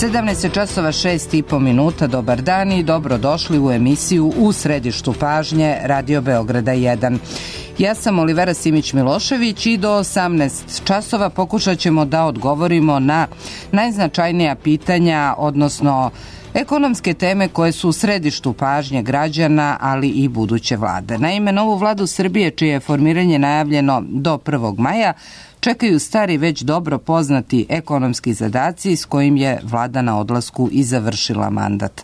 17 časova 6,5 minuta. Dobar dan i dobrodošli u emisiju U središtu pažnje Radio Beograda 1. Ja sam Olivera Simić-Milošević i do 18 časova pokušat ćemo da odgovorimo na najznačajnija pitanja, odnosno ekonomske teme koje su u središtu pažnje građana, ali i buduće vlade. Naime, novu vladu Srbije, čije je formiranje najavljeno do 1. maja, čekaju stari već dobro poznati ekonomski zadaci s kojim je vlada na odlasku i završila mandat.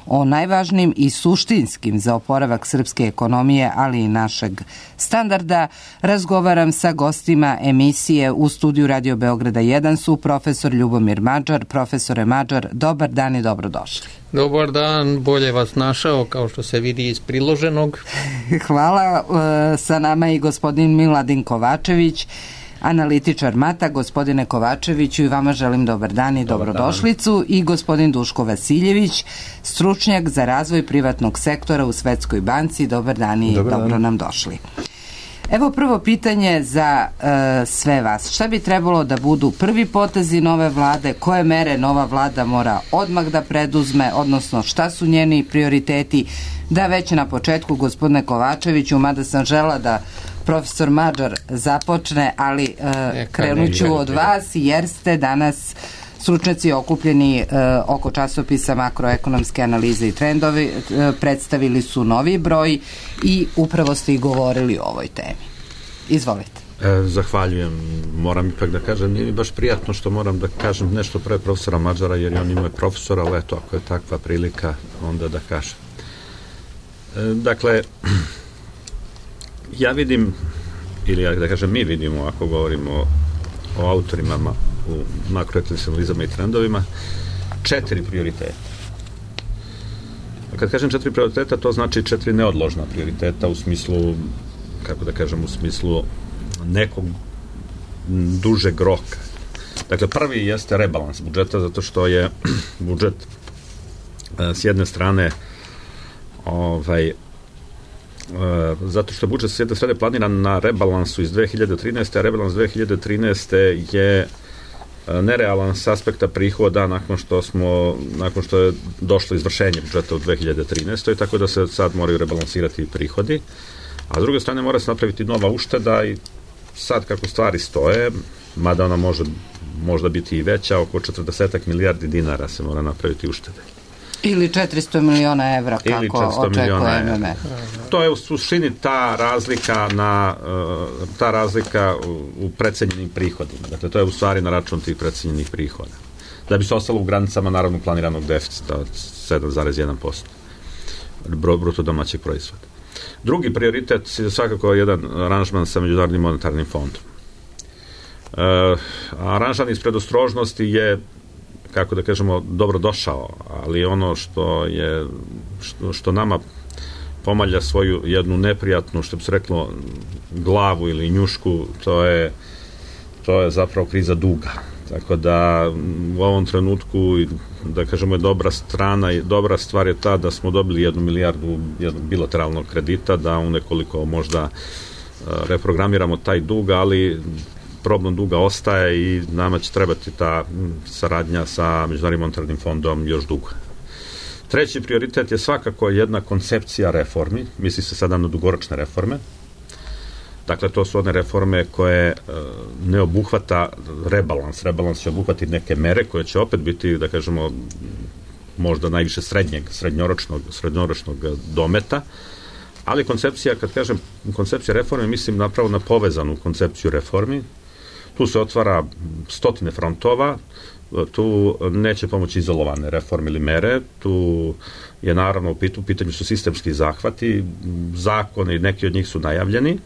O najvažnijim i suštinskim za oporavak srpske ekonomije, ali i našeg standarda, razgovaram sa gostima emisije. U studiju Radio Beograda 1 su profesor Ljubomir Mađar. Profesore Mađar, dobar dan i dobrodošli. Dobar dan, bolje vas našao, kao što se vidi iz priloženog. Hvala. Sa nama je i gospodin Miladin Kovačević, analitičar MATA. Gospodine Kovačeviću, i vama želim dobar dan i dobrodošlicu. I gospodin Duško Vasiljević, stručnjak za razvoj privatnog sektora u Svetskoj banci. Dobar dan i dobro nam došli. Evo prvo pitanje za sve vas. Šta bi trebalo da budu prvi potezi nove vlade? Koje mere nova vlada mora odmah da preduzme, odnosno šta su njeni prioriteti? Da već na početku, gospodine Kovačeviću, mada sam žela da profesor Mađar započne, ali krenut ću od vas, jer ste danas stručnjaci okupljeni oko časopisa Makroekonomske analize i trendovi, predstavili su novi broj i upravo ste i govorili o ovoj temi. Izvolite. Zahvaljujem. Moram ipak da kažem, nije mi baš prijatno što moram da kažem nešto pre profesora Mađara, jer on ima profesora, ali eto, ako je takva prilika, onda da kažem. Dakle, ja vidim, ili da kažem mi vidimo, ako govorimo o autorima u makroekonomskim analizama i trendovima, 4 prioriteta. A kad kažem 4 prioriteta, to znači 4 neodložna prioriteta u smislu, kako da kažem, u smislu nekog dužeg roka. Dakle, prvi jeste rebalans budžeta, zato što je budžet s jedne strane zato što je budžet s jedne strane planiran na rebalansu iz 2013. a rebalans 2013. je nerealan s aspekta prihoda nakon što je došlo izvršenje budžeta u 2013. tako da se sad moraju rebalansirati prihodi, a s druge strane mora se napraviti nova ušteda i sad kako stvari stoje, mada ona može možda biti i veća, oko 40 milijardi dinara se mora napraviti uštede. Ili 400 miliona evra, kako očekuje MMF. To je u suštini ta razlika u precenjenim prihodima. Dakle, to je u stvari na račun tih precenjenih prihoda. Da bi se ostalo u granicama naravno planiranog deficita od 7,1% bruto domaćeg proizvoda. Drugi prioritet je svakako jedan aranžman sa Međunarodnim monetarnim fondom. Aranžman iz predostrožnosti je, kako da kažemo, dobro došao, ali ono što nama pomalja svoju jednu neprijatnu, što bi se reklo, glavu ili njušku, to je zapravo kriza duga. Tako da u ovom trenutku, da kažemo, je dobra stvar je ta da smo dobili 1 milijardu jednog bilateralnog kredita, da u nekoliko možda reprogramiramo taj dug, ali problem duga ostaje i nama će trebati ta saradnja sa Međunarodnim monetarnim fondom još dugo. Treći prioritet je svakako jedna koncepcija reformi, misli se sada na dugoročne reforme. Dakle, to su one reforme koje ne obuhvata rebalans. Rebalans će obuhvatiti neke mere koje će opet biti, da kažemo, možda najviše srednjoročnog dometa, ali koncepcija, kad kažem koncepcija reforme, mislim napravo na povezanu koncepciju reformi. Tu se otvara stotine frontova, tu neće pomoći izolovane reforme ili mere, tu je naravno u pitanju su sistemski zahvati, zakoni, neki od njih su najavljeni,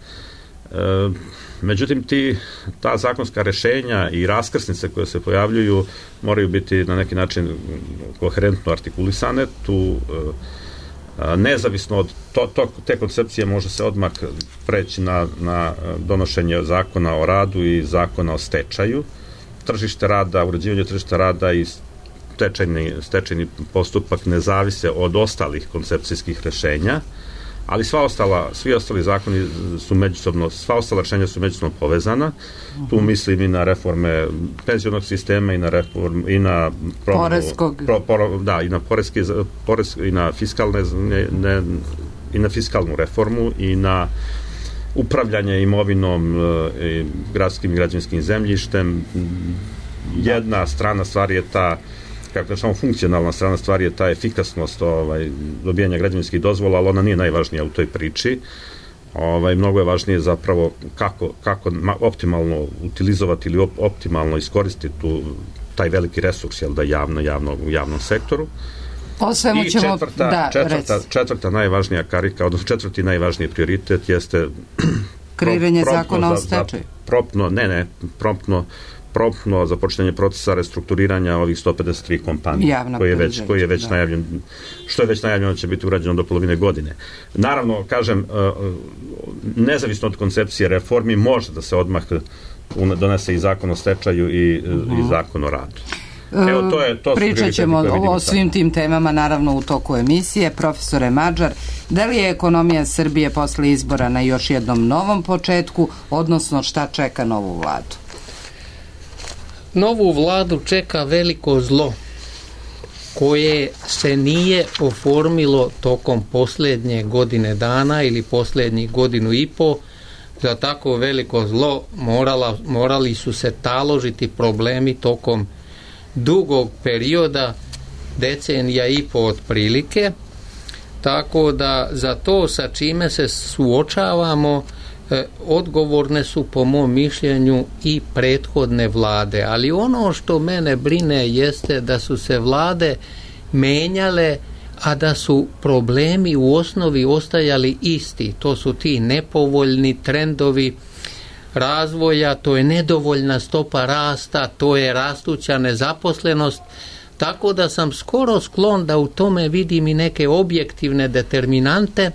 međutim ta zakonska rešenja i raskrsnice koje se pojavljuju moraju biti na neki način koherentno artikulisane, tu nezavisno od te koncepcije može se odmah preći na donošenje zakona o radu i zakona o stečaju. Tržište rada, uređivanje tržišta rada i stečajni postupak ne zavise od ostalih koncepcijskih rešenja, ali svi ostali zakoni su međusobno, sva ostala rešenja su međusobno povezana. Tu mislim i na reforme penzionog sistema i na i na poreskog, i na i na fiskalne i na fiskalnu reformu i na upravljanje imovinom, gradskim i građevinskim zemljištem. Jedna strana stvari je ta, kako samo funkcionalna strana stvari je ta efikasnost dobijanja građevinskih dozvola, ali ona nije najvažnija u toj priči. Mnogo je važnije zapravo kako optimalno utilizovati ili optimalno iskoristiti taj veliki resurs, u javnom sektoru. I četvrta najvažnija karika, odnosno četvrti najvažniji prioritet jeste kreiranje zakona o stečaju. Promptno započinjanje procesa restrukturiranja ovih 153 kompanije, koji je već najavljen, što je već najavljeno će biti urađeno do polovine godine. Naravno, kažem, nezavisno od koncepcije reformi, može da se odmah donese i zakon o stečaju i zakon o radu. Pričat ćemo o svim tim temama naravno u toku emisije. Profesore Mađar, da li je ekonomija Srbije posle izbora na još jednom novom početku, odnosno šta čeka novu vladu? Novu vladu čeka veliko zlo koje se nije oformilo tokom posljednje godine dana ili posljednjih godinu i po. Za tako veliko zlo morali su se taložiti problemi tokom dugog perioda, decenija i po otprilike, tako da za to sa čime se suočavamo odgovorne su po mom mišljenju i prethodne vlade, ali ono što mene brine jeste da su se vlade menjale, a da su problemi u osnovi ostajali isti. To su ti nepovoljni trendovi razvoja, to je nedovoljna stopa rasta, to je rastuća nezaposlenost, tako da sam skoro sklon da u tome vidim i neke objektivne determinante,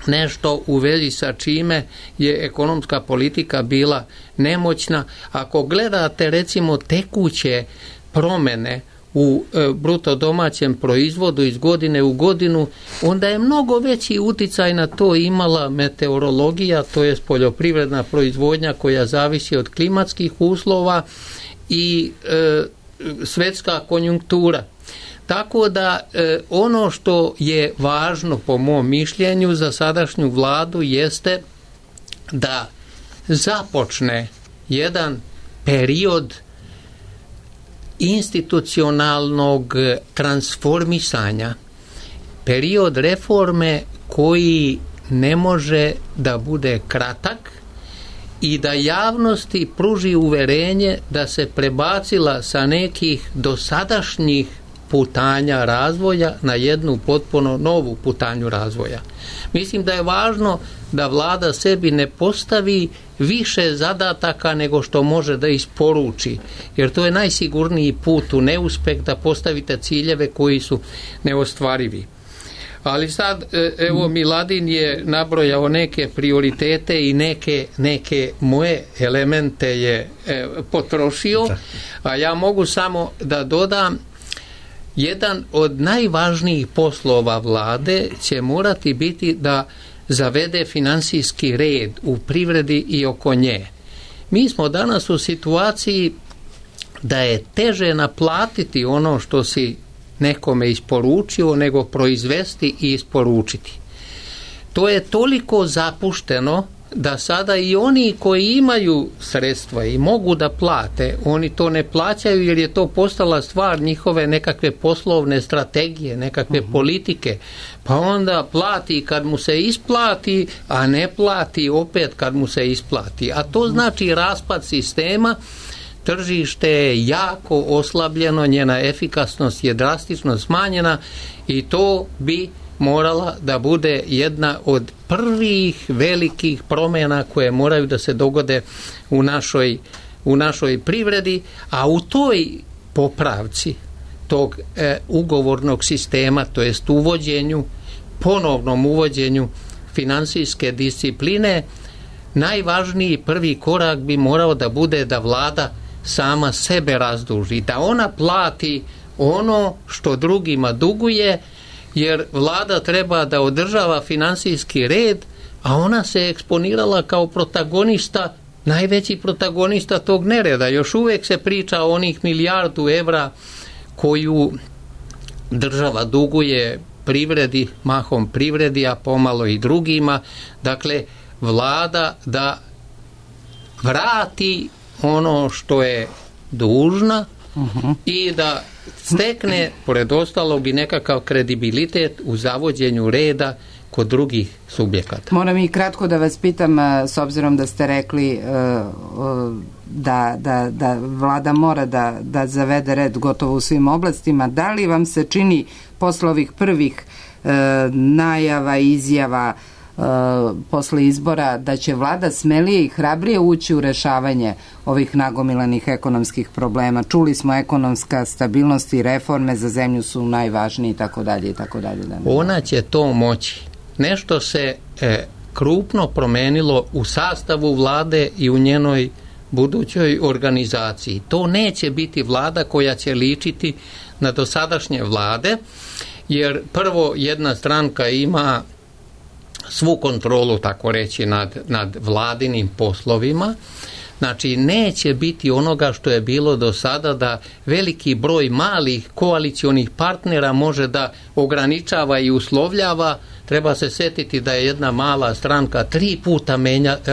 nešto u vezi sa čime je ekonomska politika bila nemoćna. Ako gledate recimo tekuće promjene u bruto domaćem proizvodu iz godine u godinu, onda je mnogo veći uticaj na to imala meteorologija, to je poljoprivredna proizvodnja koja zavisi od klimatskih uslova i svetska konjunktura. Tako da ono što je važno po mom mišljenju za sadašnju vladu jeste da započne jedan period institucionalnog transformisanja, period reforme koji ne može da bude kratak i da javnosti pruži uverenje da se prebacila sa nekih dosadašnjih putanja razvoja na jednu potpuno novu putanju razvoja. Mislim da je važno da vlada sebi ne postavi više zadataka nego što može da isporuči, jer to je najsigurniji put u neuspeh, da postavite ciljeve koji su neostvarivi. Ali sad, evo, Miladin je nabrojao neke prioritete i neke moje elemente je potrošio, a ja mogu samo da dodam, jedan od najvažnijih poslova vlade će morati biti da zavede finansijski red u privredi i oko nje. Mi smo danas u situaciji da je teže naplatiti ono što si nekome isporučio nego proizvesti i isporučiti. To je toliko zapušteno da sada i oni koji imaju sredstva i mogu da plate, oni to ne plaćaju jer je to postala stvar njihove nekakve poslovne strategije, nekakve politike, pa onda plati kad mu se isplati, a ne plati opet kad mu se isplati. A to znači raspad sistema, tržište je jako oslabljeno, njena efikasnost je drastično smanjena i to bi morala da bude jedna od prvih velikih promjena koje moraju da se dogode u našoj privredi, a u toj popravci tog ugovornog sistema, to jest ponovnom uvođenju finansijske discipline, najvažniji prvi korak bi morao da bude da vlada sama sebe razduži, da ona plati ono što drugima duguje, jer vlada treba da održava finansijski red, a ona se eksponirala kao protagonista, najveći protagonista tog nereda. Još uvek se priča o onih 1 milijardu evra koju država duguje privredi, mahom privredi, a pomalo i drugima. Dakle, vlada da vrati ono što je dužna i da stekne, pored ostalog, i nekakav kredibilitet u zavođenju reda kod drugih subjekata. Moram i kratko da vas pitam, s obzirom da ste rekli da vlada mora da zavede red gotovo u svim oblastima, da li vam se čini posle ovih prvih najava, izjava posle izbora da će vlada smelije i hrabrije ući u rešavanje ovih nagomilanih ekonomskih problema? Čuli smo, ekonomska stabilnost i reforme za zemlju su najvažniji i tako dalje i tako dalje. Ona će to moći. Nešto se krupno promenilo u sastavu vlade i u njenoj budućoj organizaciji. To neće biti vlada koja će ličiti na dosadašnje vlade, jer prvo jedna stranka ima svu kontrolu, tako reći, nad vladinim poslovima. Znači, neće biti onoga što je bilo do sada, da veliki broj malih koalicionih partnera može da ograničava i uslovljava. Treba se setiti da je jedna mala stranka 3 puta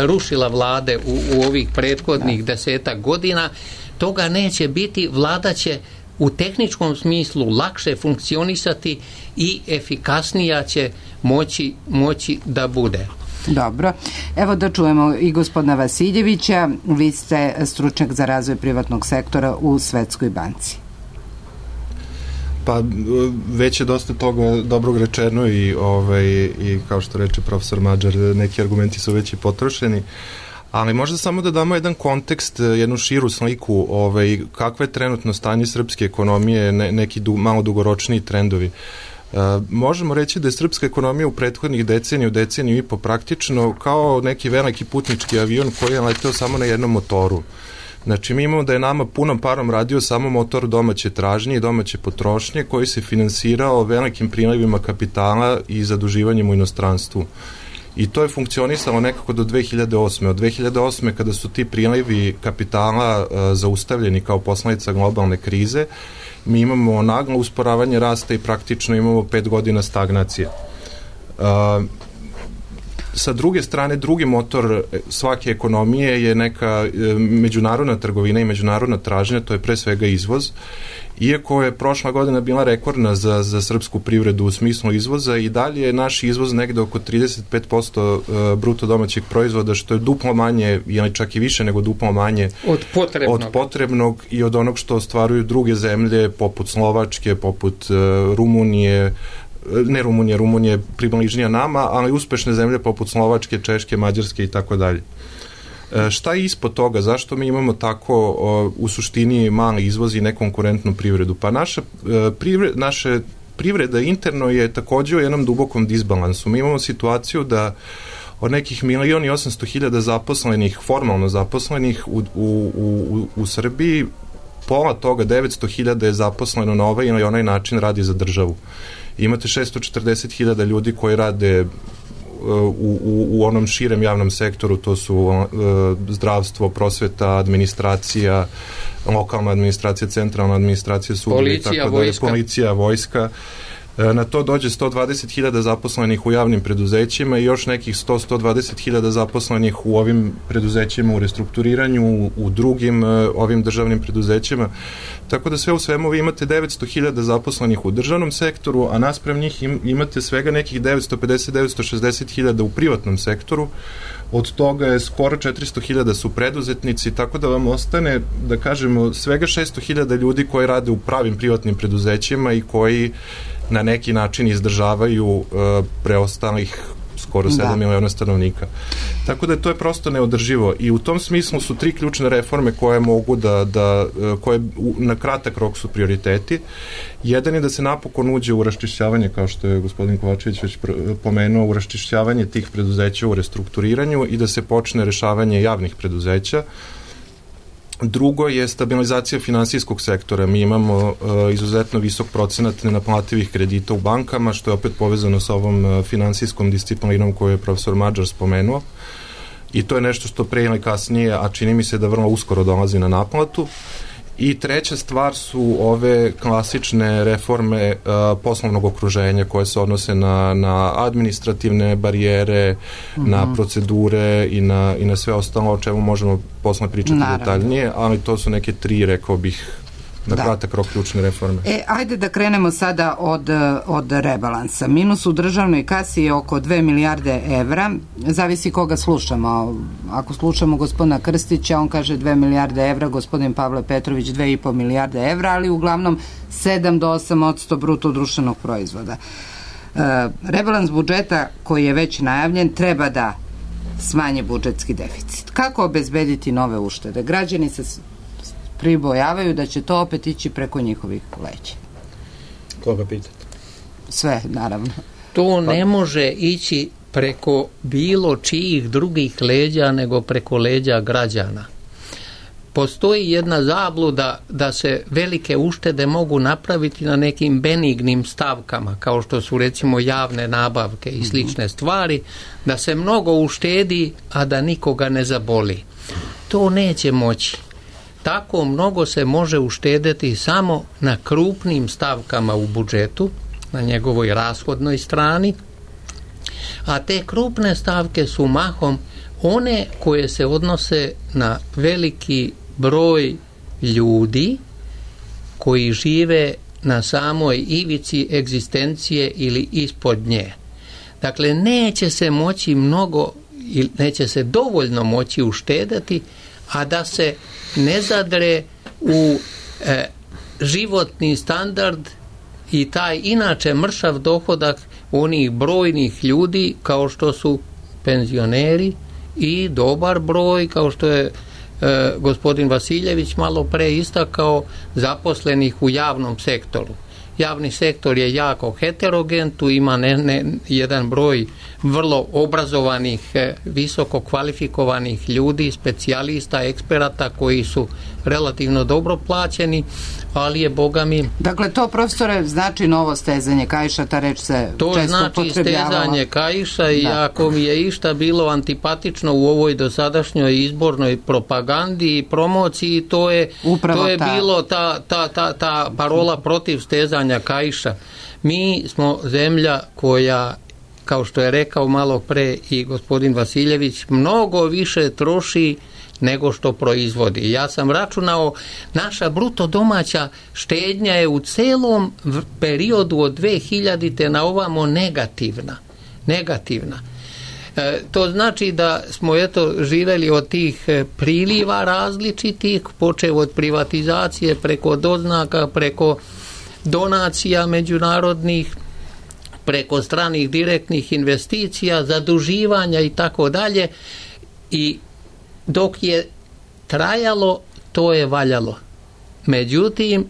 rušila vlade u ovih prethodnih 10 godina. Toga neće biti. Vlada će u tehničkom smislu lakše funkcionisati i efikasnija će moći da bude. Dobro. Evo da čujemo i gospodina Vasiljevića. Vi ste stručnjak za razvoj privatnog sektora u Svetskoj banci. Pa već je dosta toga dobrog rečeno i kao što reče profesor Mađar, neki argumenti su već i potrošeni, ali možda samo da damo jedan kontekst, jednu širu sliku kakve je trenutno stanje srpske ekonomije, neki malo dugoročniji trendovi. Možemo reći da je srpska ekonomija u prethodnih deceniju i po praktično kao neki veliki putnički avion koji je leteo samo na jednom motoru. Znači, mi imamo da je nama punom parom radio samo motor domaće tražnje i domaće potrošnje koji se finansirao velikim prilivima kapitala i zaduživanjem u inostranstvu. I to je funkcionisalo nekako do 2008. Od 2008. kada su ti prilivi kapitala zaustavljeni kao posledica globalne krize, mi imamo naglo usporavanje rasta i praktično imamo 5 godina stagnacije. Sa druge strane, drugi motor svake ekonomije je neka međunarodna trgovina i međunarodna tražnja, to je pre svega izvoz. Iako je prošla godina bila rekordna za srpsku privredu u smislu izvoza, i dalje je naš izvoz negde oko 35% bruto domaćeg proizvoda, što je duplo manje, ili čak i više nego duplo manje od potrebnog i od onog što ostvaruju druge zemlje poput Slovačke, poput Rumunije, Rumunije približnija nama, ali uspešne zemlje poput Slovačke, Češke, Mađarske i tako dalje. Šta je ispod toga? Zašto mi imamo tako u suštini mali izvoz i nekonkurentnu privredu? Pa naša privreda interno je takođe u jednom dubokom disbalansu. Mi imamo situaciju da od nekih 1.800.000 zaposlenih, formalno zaposlenih u Srbiji, pola toga, 900.000 je zaposleno na ovaj ili onaj način radi za državu. Imate 640.000 ljudi koji rade u onom širem javnom sektoru, to su zdravstvo, prosveta, administracija, lokalna administracija, centralna administracija, sudovi, policija, vojska. Na to dođe 120.000 zaposlenih u javnim preduzećima i još nekih 120.000 zaposlenih u ovim preduzećima u restrukturiranju, u drugim ovim državnim preduzećima. Tako da sve u svemu vi imate 900.000 zaposlenih u državnom sektoru, a naspram njih imate svega nekih 950-960.000 u privatnom sektoru. Od toga je skoro 400.000 su preduzetnici, tako da vam ostane, da kažemo, svega 600.000 ljudi koji rade u pravim privatnim preduzećima i koji na neki način izdržavaju preostalih skoro 7 miliona stanovnika. Tako da to je prosto neodrživo i u tom smislu su 3 ključne reforme koje mogu koje na kratak rok su prioriteti. Jedan je da se napokon uđe u raščišćavanje, kao što je gospodin Kovačević već pomenuo, u raščišćavanje tih preduzeća u restrukturiranju i da se počne rešavanje javnih preduzeća. Drugo je stabilizacija finansijskog sektora. Mi imamo izuzetno visok procenat nenaplativih kredita u bankama, što je opet povezano sa ovom finansijskom disciplinom koju je profesor Mađar spomenuo. I to je nešto što pre ili kasnije, a čini mi se da vrlo uskoro dolazi na naplatu. I treća stvar su ove klasične reforme poslovnog okruženja koje se odnose na administrativne barijere, na procedure i na sve ostalo o čemu možemo posle pričati detaljnije, ali to su neke tri, rekao bih, na kratak rok ključne reforme. Ajde da krenemo sada od rebalansa. Minus u državnoj kasi je oko 2 milijarde evra. Zavisi koga slušamo. Ako slušamo gospodina Krstića, on kaže 2 milijarde evra, gospodin Pavle Petrović 2,5 milijarde evra, ali uglavnom 7 do 8% bruto društvenog proizvoda. Rebalans budžeta koji je već najavljen treba da smanje budžetski deficit. Kako obezbediti nove uštede? Građani se pribojavaju da će to opet ići preko njihovih leđa. Koga pitate? Sve, naravno. To ne može ići preko bilo čijih drugih leđa nego preko leđa građana. Postoji jedna zabluda da se velike uštede mogu napraviti na nekim benignim stavkama, kao što su recimo javne nabavke i slične stvari, da se mnogo uštedi, a da nikoga ne zaboli. To neće moći. Tako mnogo se može uštedeti samo na krupnim stavkama u budžetu, na njegovoj rashodnoj strani, a te krupne stavke su mahom one koje se odnose na veliki broj ljudi koji žive na samoj ivici egzistencije ili ispod nje. Dakle, neće se moći mnogo, neće se dovoljno moći uštedati, a da se ne zadre u životni standard i taj inače mršav dohodak onih brojnih ljudi kao što su penzioneri i dobar broj, kao što je gospodin Vasiljević malo pre istakao, zaposlenih u javnom sektoru. Javni sektor je jako heterogen, tu ima jedan broj vrlo obrazovanih, visoko kvalifikovanih ljudi, specijalista, eksperata koji su relativno dobro plaćeni, ali je, Boga mi... Dakle, to, profesore, znači novo stezanje kaiša, ta reč se to često znači upotrebljavala. stezanje kaiša i ako mi je išta bilo antipatično u ovoj dosadašnjoj izbornoj propagandi i promociji, to je bilo ta parola protiv stezanja kaiša. Mi smo zemlja koja, kao što je rekao malo pre i gospodin Vasiljević, mnogo više troši nego što proizvodi. Ja sam računao, naša bruto domaća štednja je u celom periodu od 2000. na ovamo negativna. To znači da smo živeli od tih priliva različitih, počev od privatizacije, preko doznaka, preko donacija međunarodnih, preko stranih direktnih investicija, zaduživanja i tako dalje, i dok je trajalo, to je valjalo. Međutim,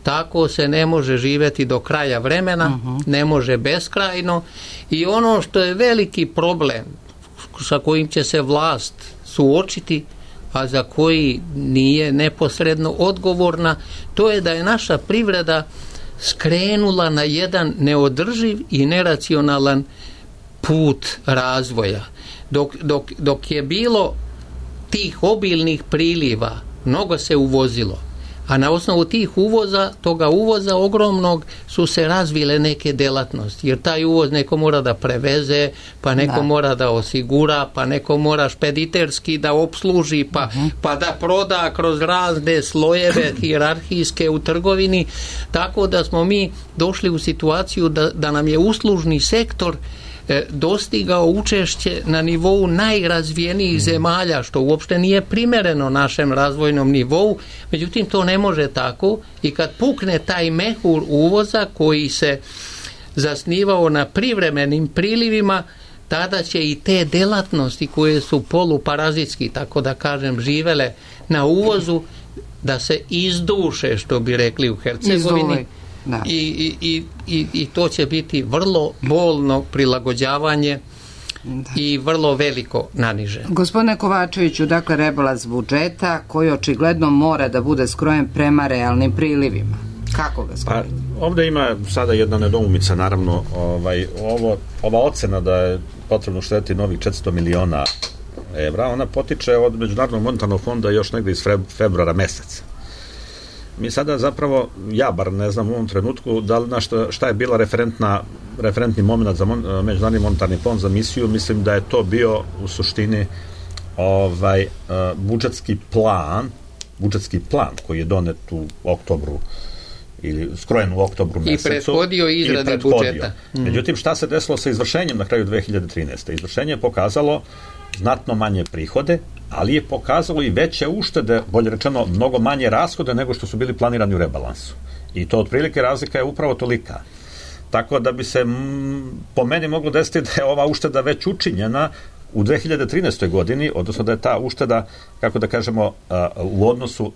tako se ne može živjeti do kraja vremena, ne može beskrajno, i ono što je veliki problem sa kojim će se vlast suočiti, a za koji nije neposredno odgovorna, to je da je naša privreda skrenula na jedan neodrživ i neracionalan put razvoja. Dok je bilo tih obilnih priliva, mnogo se uvozilo, a na osnovu toga uvoza ogromnog su se razvile neke delatnosti, jer taj uvoz neko mora da preveze, pa neko mora da osigura, pa neko mora špediterski da opsluži, pa da proda kroz razne slojeve hijerarhijske u trgovini, tako da smo mi došli u situaciju da nam je uslužni sektor dostigao učešće na nivou najrazvijenijih zemalja, što uopšte nije primereno našem razvojnom nivou. Međutim, to ne može tako, i kad pukne taj mehur uvoza koji se zasnivao na privremenim prilivima, tada će i te delatnosti koje su poluparazitski, tako da kažem, živele na uvozu, da se izduše, što bi rekli u Hercegovini. I to će biti vrlo bolno prilagođavanje i vrlo veliko naniže. Gospodine Kovačeviću, dakle rebalans budžeta koji očigledno mora da bude skrojen prema realnim prilivima. Kako ga skrojiti? Pa, ovde ima sada jedna nedoumica, naravno, ova ocena da je potrebno uštedeti novih 400 miliona evra, ona potiče od Međunarodnog monetarnog fonda još negde iz februara meseca. Mi sada zapravo, ja bar ne znam u ovom trenutku da li šta je bila referentni moment za Međunarodni monetarni fond za misiju. Mislim da je to bio u suštini budžetski plan koji je donet u oktobru ili skrojen u oktobru mesecu. I prethodio izradi budžeta. Međutim, šta se desilo sa izvršenjem na kraju 2013. Izvršenje je pokazalo znatno manje prihode, ali je pokazalo i veće uštede, bolje rečeno, mnogo manje rashode nego što su bili planirani u rebalansu. I to otprilike razlika je upravo tolika. Tako da bi se po meni moglo desiti da je ova ušteda već učinjena u 2013. godini, odnosno da je ta ušteda, kako da kažemo, u odnosu,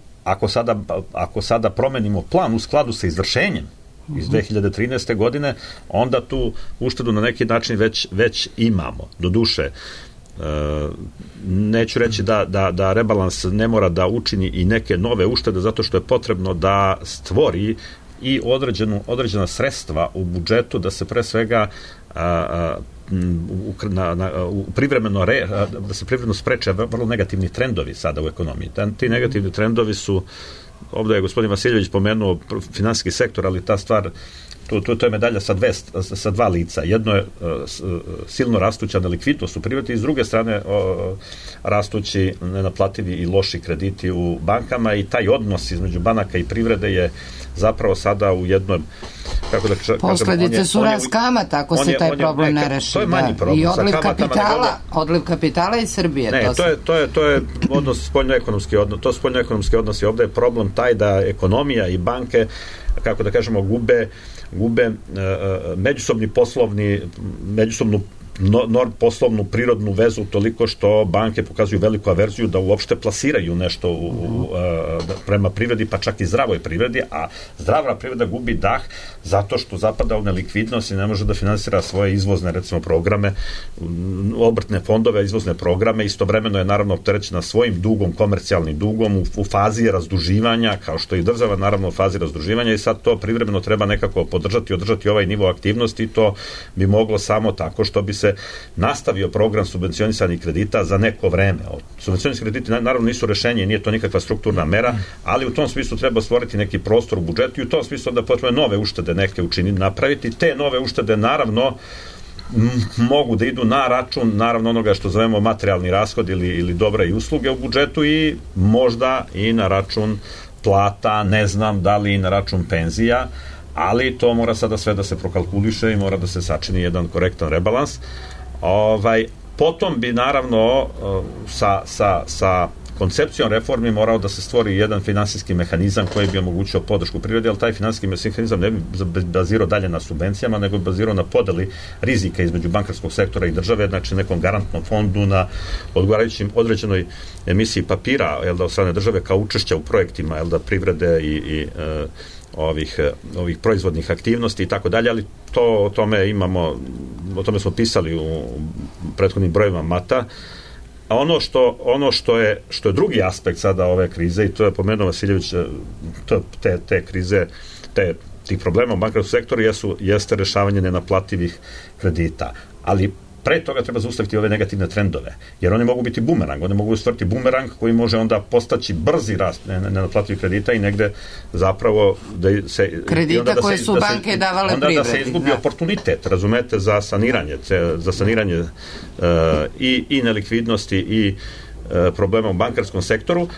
ako sada promenimo plan u skladu sa izvršenjem iz 2013. godine, onda tu uštedu na neki način već imamo. Doduše, neću reći da rebalans ne mora da učini i neke nove uštede, zato što je potrebno da stvori i određena sredstva u budžetu, da se pre svega da se privremeno spreče vrlo negativni trendovi sada u ekonomiji. Ti negativni trendovi su, ovdje je gospodin Vasiljević pomenuo finansijski sektor, ali ta stvar, to je medalja sa dva lica. Jedno je silno rastuća nelikvidnost u privredi i s druge strane rastući nenaplativi i loši krediti u bankama, i taj odnos između banaka i privrede je zapravo sada u jednom, posledice su rast kamata ako se taj problem ne reši. To je manji problem. I odliv kapitala iz Srbije. Ne, to je odnos spoljnoekonomski odnos. To spoljnoekonomski odnos, i ovdje je problem taj da ekonomija i banke, kako da kažemo, gube međusobnu poslovnu prirodnu vezu toliko što banke pokazuju veliku averziju da uopšte plasiraju nešto prema privredi, pa čak i zdravoj privredi, a zdrava privreda gubi dah zato što zapada u nelikvidnost i ne može da finansira svoje izvozne, recimo, programe, obrtne fondove, izvozne programe. Istovremeno je naravno opterećena svojim dugom, komercijalnim dugom u fazi razduživanja, kao što i država naravno u fazi razduživanja, i sad to privremeno treba nekako podržati, održati ovaj nivo aktivnosti, i to bi moglo samo tako što bi se nastavio program subvencionisanih kredita za neko vreme. Subvencionisani krediti naravno nisu rešenje, nije to nikakva strukturna mera, ali u tom smislu treba stvoriti neki prostor u budžetu i u tom smislu onda potrebno nove uštede neke učiniti, napraviti. Te nove uštede naravno mogu da idu na račun naravno onoga što zovemo materijalni rashod ili dobre i usluge u budžetu, i možda i na račun plata, ne znam da li i na račun penzija, ali to mora sada sve da se prokalkuliše i mora da se sačini jedan korektan rebalans. Potom bi naravno sa koncepcijom reformi morao da se stvori jedan finansijski mehanizam koji bi omogućio podršku privredi, ali taj finansijski mehanizam ne bi bazirao dalje na subvencijama, nego bi bazirao na podeli rizika između bankarskog sektora i države, znači nekom garantnom fondu, na odgovarajućim određenoj emisiji papira od strane države kao učešća u projektima privrede i ovih proizvodnih aktivnosti i tako dalje, ali o tome smo pisali u prethodnim brojevima Mata. A ono što je drugi aspekt sada ove krize, i to je pomenuo Vasiljević, te krize, tih problema u bankarskom sektoru jeste rešavanje nenaplativih kredita, ali pre toga treba zaustaviti ove negativne trendove, jer oni mogu biti bumerang, oni mogu stvoriti bumerang koji može onda postaći brzi rast nenaplativih kredita i negde zapravo kredita koje su banke davale privredi. Onda da se izgubi oportunitet, razumete, za saniranje i nelikvidnosti i problema u bankarskom sektoru.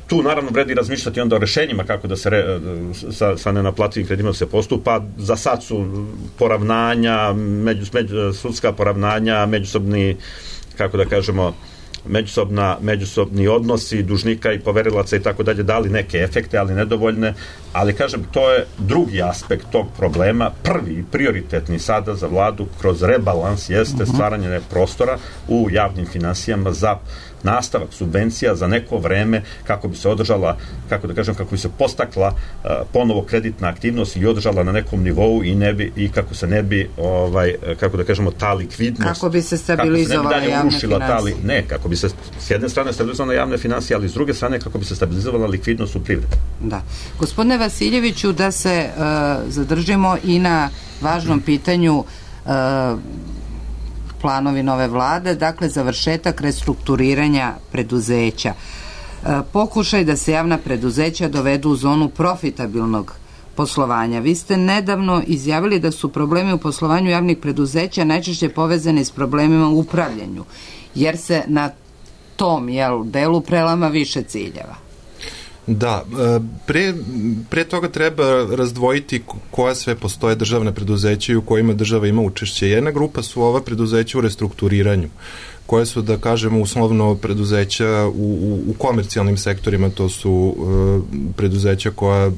Tu naravno vredi razmišljati onda o rešenjima kako da se sa nenaplativim kreditima se postupa. Za sad su poravnanja, sudska poravnanja, međusobni, kako da kažemo, međusobni odnosi dužnika i poverilaca i tako dalje dali neke efekte, ali nedovoljne, ali kažem, to je drugi aspekt tog problema. Prvi, prioritetni sada za vladu kroz rebalans jeste stvaranje prostora u javnim finansijama za nastavak subvencija za neko vreme kako bi se održala, kako bi se postakla ponovo kreditna aktivnost i održala na nekom nivou i kako se ne bi ta likvidnost, kako bi se stabilizovala javne financije. Kako bi se s jedne strane stabilizovala javne financije, ali s druge strane kako bi se stabilizovala likvidnost u privredi. Da. Gospodine Vasiljeviću, da se zadržimo i na važnom pitanju planovi nove vlade, dakle završetak restrukturiranja preduzeća. Pokušaj da se javna preduzeća dovedu u zonu profitabilnog poslovanja. Vi ste nedavno izjavili da su problemi u poslovanju javnih preduzeća najčešće povezani s problemima u upravljanju, jer se na tom delu prelama više ciljeva. Da, pre toga treba razdvojiti koja sve postoje državne preduzeće i u kojima država ima učešće. Jedna grupa su ova preduzeća u restrukturiranju, koje su, da kažemo, uslovno preduzeća u komercijalnim sektorima, to su preduzeća koja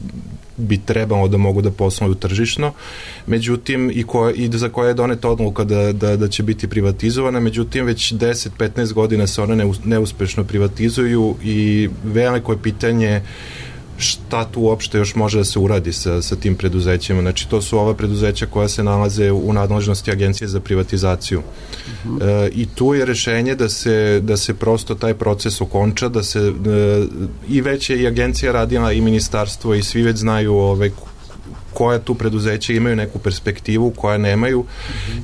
bi trebalo da mogu da posluju tržišno, međutim i za koje je doneta odluka da će biti privatizovana, međutim već 10-15 godina se one neuspešno privatizuju i veliko je pitanje šta tu uopšte još može da se uradi sa tim preduzećima. Znači, to su ova preduzeća koja se nalaze u nadležnosti Agencije za privatizaciju. I tu je rešenje da se prosto taj proces okonča, da se i već je i agencija radila i ministarstvo i svi već znaju koja tu preduzeća imaju neku perspektivu, koja nemaju,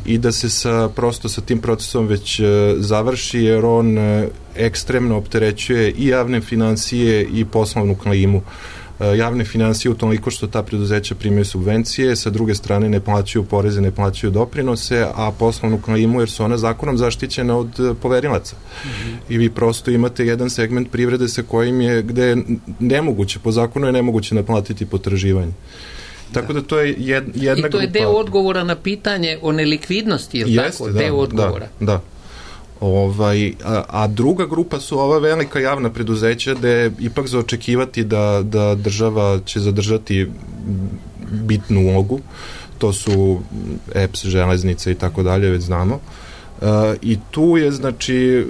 i da se prosto sa tim procesom već završi, jer on ekstremno opterećuje i javne financije i poslovnu klimu. Javne financije u toliko što ta preduzeća primaju subvencije, sa druge strane ne plaćaju poreze, ne plaćaju doprinose, a poslovnu klimu, jer su ona zakonom zaštićena od poverilaca. I vi prosto imate jedan segment privrede sa kojim je, gde je nemoguće, po zakonu je nemoguće naplatiti potraživanje. Tako da to je jedna grupa. I to je deo odgovora na pitanje o nelikvidnosti, je li tako? Deo odgovora. Da. A druga grupa su ova velika javna preduzeća gde ipak za očekivati da država će zadržati bitnu ulogu. To su EPS, železnice i tako dalje, već znamo. I tu je, znači,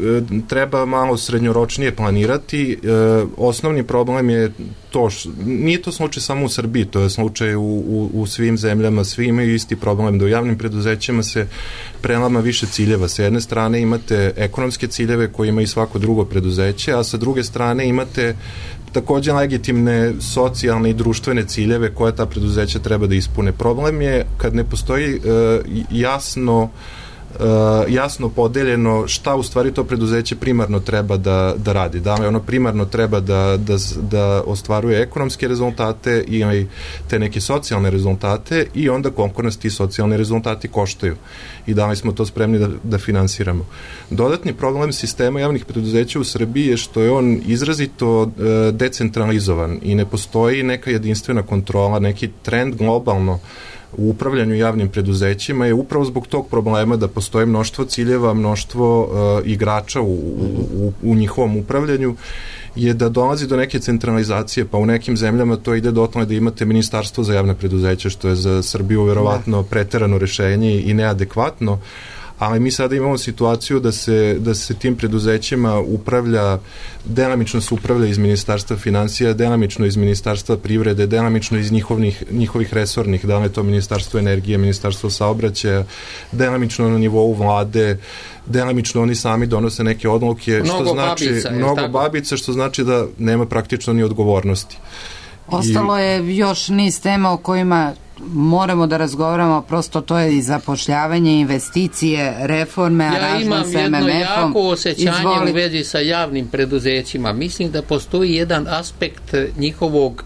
treba malo srednjoročnije planirati. Osnovni problem je to, nije to slučaj samo u Srbiji, to je slučaj u svim zemljama, svi imaju isti problem, da u javnim preduzećima se prelama više ciljeva. Sa jedne strane imate ekonomske ciljeve koje ima i svako drugo preduzeće, a sa druge strane imate takođe legitimne socijalne i društvene ciljeve koje ta preduzeća treba da ispune. Problem je kad ne postoji jasno podeljeno šta u stvari to preduzeće primarno treba da radi. Da li ono primarno treba da ostvaruje ekonomske rezultate ili te neke socijalne rezultate, i onda koliko nas ti socijalni rezultati koštaju i da li smo to spremni da finansiramo. Dodatni problem sistema javnih preduzeća u Srbiji je što je on izrazito decentralizovan i ne postoji neka jedinstvena kontrola, neki trend globalno u upravljanju javnim preduzećima je upravo zbog tog problema da postoje mnoštvo ciljeva, mnoštvo igrača u njihovom upravljanju, je da dolazi do neke centralizacije, pa u nekim zemljama to ide do tome da imate ministarstvo za javne preduzeće, što je za Srbiju verovatno preterano rešenje i neadekvatno, ali mi sada imamo situaciju da se tim preduzećima delamično se upravlja iz Ministarstva finansija, delamično iz Ministarstva privrede, delamično iz njihovih resornih, da li je to Ministarstvo energije, Ministarstvo saobraćaja, delamično na nivou vlade, delamično oni sami donose neke odluke, mnogo babica, što znači da nema praktično ni odgovornosti. Ostalo je još niz tema o kojima moramo da razgovaramo, prosto to je i zapošljavanje, investicije, reforme, aranžman s MMF-om. Ja imam jedno jako osjećanje u vezi sa javnim preduzećima. Mislim da postoji jedan aspekt njihovog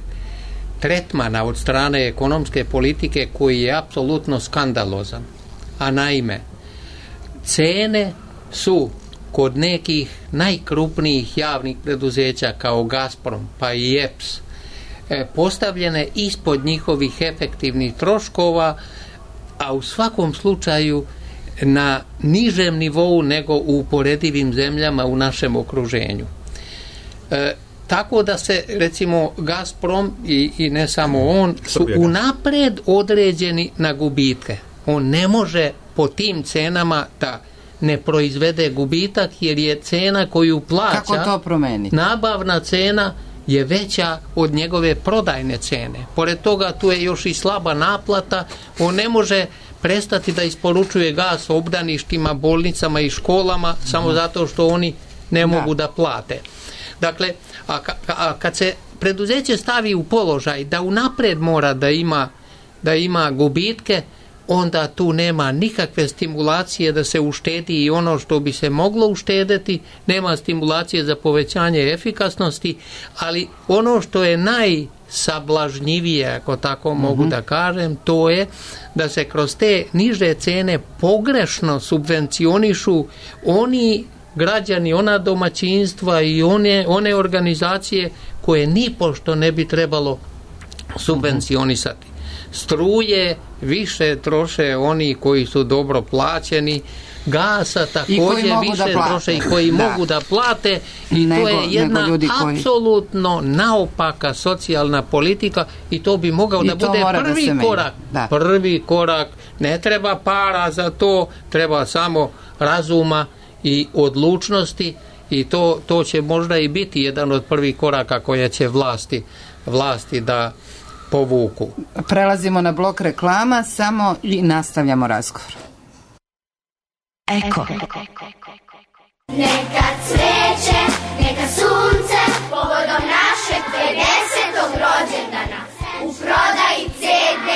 tretmana od strane ekonomske politike koji je apsolutno skandalozan. A naime, cene su kod nekih najkrupnijih javnih preduzeća kao Gazprom pa i EPS postavljene ispod njihovih efektivnih troškova, a u svakom slučaju na nižem nivou nego u uporedivim zemljama u našem okruženju. Tako da se, recimo, Gazprom i ne samo on su unapred određeni na gubitke. On ne može po tim cenama da ne proizvede gubitak, jer je cena koju plaća, kako to promeniti? Nabavna cena je veća od njegove prodajne cene. Pored toga tu je još i slaba naplata. On ne može prestati da isporučuje gas obdaništima, bolnicama i školama samo zato što oni ne mogu da plate. Dakle, a kad se preduzeće stavi u položaj da unapred mora da ima gubitke, onda tu nema nikakve stimulacije da se uštedi i ono što bi se moglo uštedeti, nema stimulacije za povećanje efikasnosti, ali ono što je najsablažnjivije, ako tako mogu da kažem, to je da se kroz te niže cene pogrešno subvencionišu oni građani, ona domaćinstva i one organizacije koje nipošto ne bi trebalo subvencionisati. Struje više troše oni koji su dobro plaćeni, gasa također više troše i koji mogu da plate, i to je jedna apsolutno naopaka socijalna politika, i to bi mogao da bude prvi korak. Prvi korak, ne treba para za to, treba samo razuma i odlučnosti, i to će možda i biti jedan od prvih koraka koje će vlasti da povuku. Prelazimo na blok reklama samo i nastavljamo razgovor. Eko. Neka cveće, neka sunce, povodom našeg 50. rođendana. U prodaji CD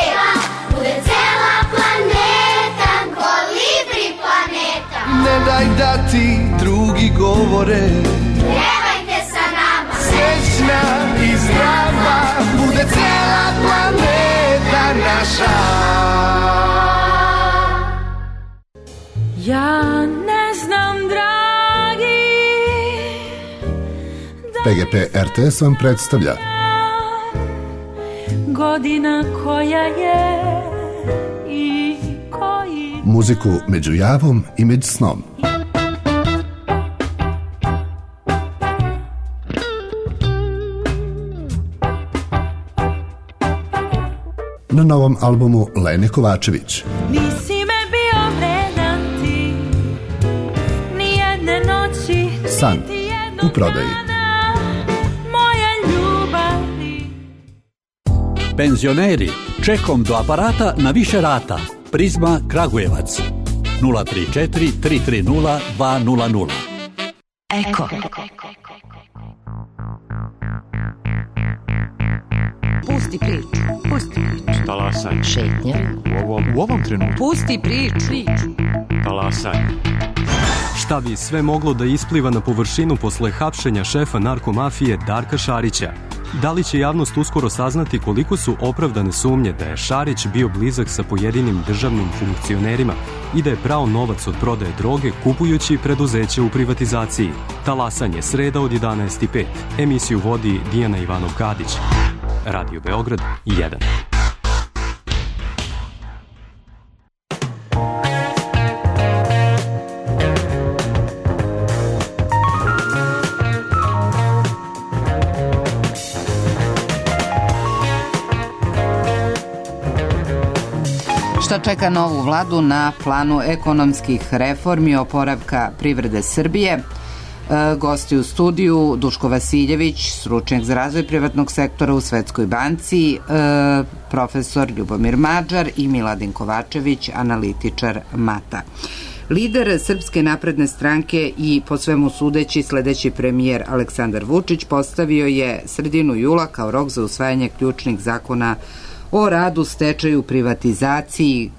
bude cela planeta, Kolibri planeta. Ne daj da ti drugi govore, pjevajte sa nama. Srećna i zdrava bude cela planeta naša. Ja ne znam, dragi, PGP RTS vam predstavlja godina koja je i koji muziku među javom i među snom. Na novom albumu Lene Kovačević. Nisi me bio vredan ti, ni jedne noći, San u prodaji. Moja ljubavi. Penzioneri, čekom do aparata na više rata. Prizma Kragujevac 034 330 200. Eko. Pusti priču. Talasaj. Šetnja. U ovom trenutku. Pusti priču. Talasaj. Šta bi sve moglo da ispliva na površinu posle hapšenja šefa narkomafije Darka Šarića? Da li će javnost uskoro saznati koliko su opravdane sumnje da je Šarić bio blizak sa pojedinim državnim funkcionerima i da je prao novac od prodaje droge kupujući preduzeće u privatizaciji? Talasanje, sreda od 11:05. Emisiju vodi Dijana Ivanov-Kadić. Radio Beograd 1. Šta čeka novu vladu na planu ekonomskih reformi i oporavka privrede Srbije? Gosti u studiju Duško Vasiljević, stručnjak za razvoj privatnog sektora u Svetskoj banci, profesor Ljubomir Mađar i Miladin Kovačević, analitičar MATA. Lider Srpske napredne stranke i po svemu sudeći sledeći premijer Aleksandar Vučić postavio je sredinu jula kao rok za usvajanje ključnih zakona o radu, stečaju, privatizaciji,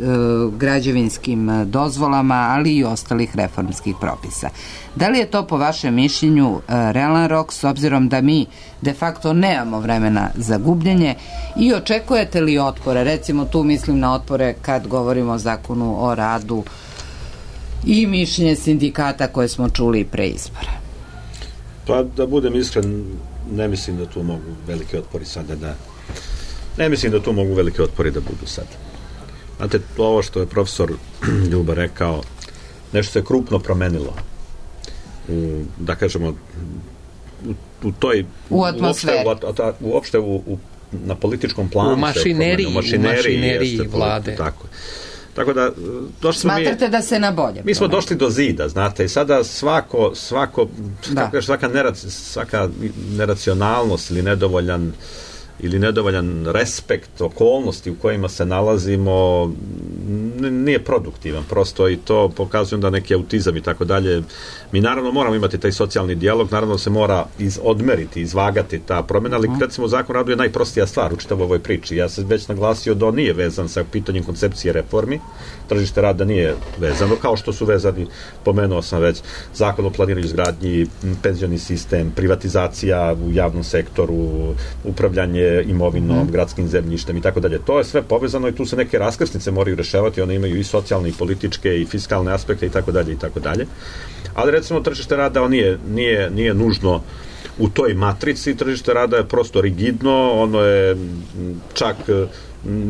građevinskim dozvolama, ali i ostalih reformskih propisa. Da li je to po vašem mišljenju realan rok, s obzirom da mi de facto nemamo vremena za gubljenje, i očekujete li otpore? Recimo tu mislim na otpore kad govorimo o zakonu o radu i mišljenje sindikata koje smo čuli pre izbora. Pa da budem iskren, ne mislim da tu mogu velike otpori sada Ne mislim da tu mogu velike otpori da budu sad. Znate, ovo što je profesor Ljuba rekao, nešto se krupno promenilo. Da kažemo, u toj... U atmosferi. Uopšte na političkom planu. U mašineriji vlade. Tako da, smatrate da se na bolje? Mi smo došli do zida, znate, i sada svaka neracionalnost ili nedovoljan respekt okolnosti u kojima se nalazimo nije produktivan, prosto, i to pokazuje da neki autizam i tako dalje. Mi naravno moramo imati taj socijalni dijalog, naravno se mora odmeriti, izvagati ta promjena, ali recimo Zakon o radu je najprostija stvar u čitavoj ovoj priči. Ja sam već naglasio da on nije vezan sa pitanjem koncepcije reformi, tržište rada nije vezano, kao što su vezani, pomenuo sam već, Zakon o planiranju izgradnji, penzioni sistem, privatizacija u javnom sektoru, upravljanje imovinom, gradskim zemljištem i tako dalje. To je sve povezano i tu se neke raskrsnice moraju rešavati, one imaju i socijalne, i političke, i fiskalne aspekte i tako dalje i tako dalje. Ali recimo tržište rada nije nužno u toj matrici, tržište rada je prosto rigidno, ono je čak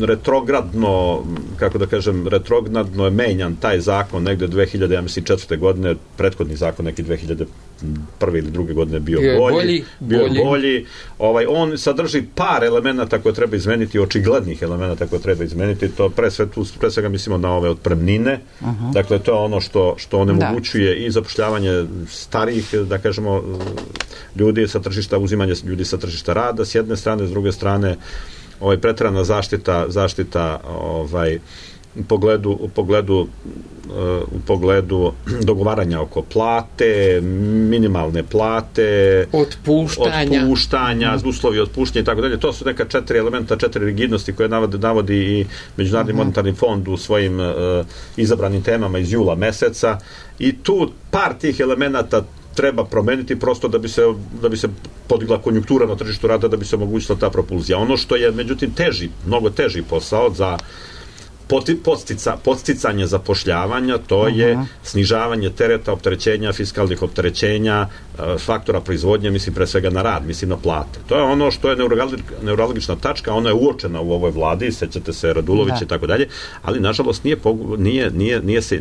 retrogradno, kako da kažem, retrogradno je menjan taj zakon negde 2004. godine, prethodni zakon neki 2001. ili druge godine bio bolji. On sadrži par elemenata koje treba izmeniti, očiglednih elemenata koje treba izmeniti, to pre svega mislimo na ove otpremnine, dakle to je ono što onemogućuje i zapošljavanje starijih, da kažemo, ljudi sa tržišta, uzimanje ljudi sa tržišta rada s jedne strane, s druge strane preterana zaštita u pogledu dogovaranja oko plate, minimalne plate, otpuštanja, uslovi otpuštanja i tako dalje. To su neka 4 elementa, 4 rigidnosti koje navodi i Međunarodni monetarni fond u svojim izabranim temama iz jula meseca, i tu par tih elemenata treba promeniti prosto da bi se podigla konjunktura na tržištu rada, da bi se omogućila ta propulzija. Ono što je međutim mnogo teži posao za podsticanje zapošljavanja, to je snižavanje tereta, opterećenja, fiskalnih opterećenja, faktora proizvodnje, mislim pre svega na rad, mislim na plate. To je ono što je neuralgična tačka, ona je uočena u ovoj vladi, sećate se Radulović i tako dalje, ali nažalost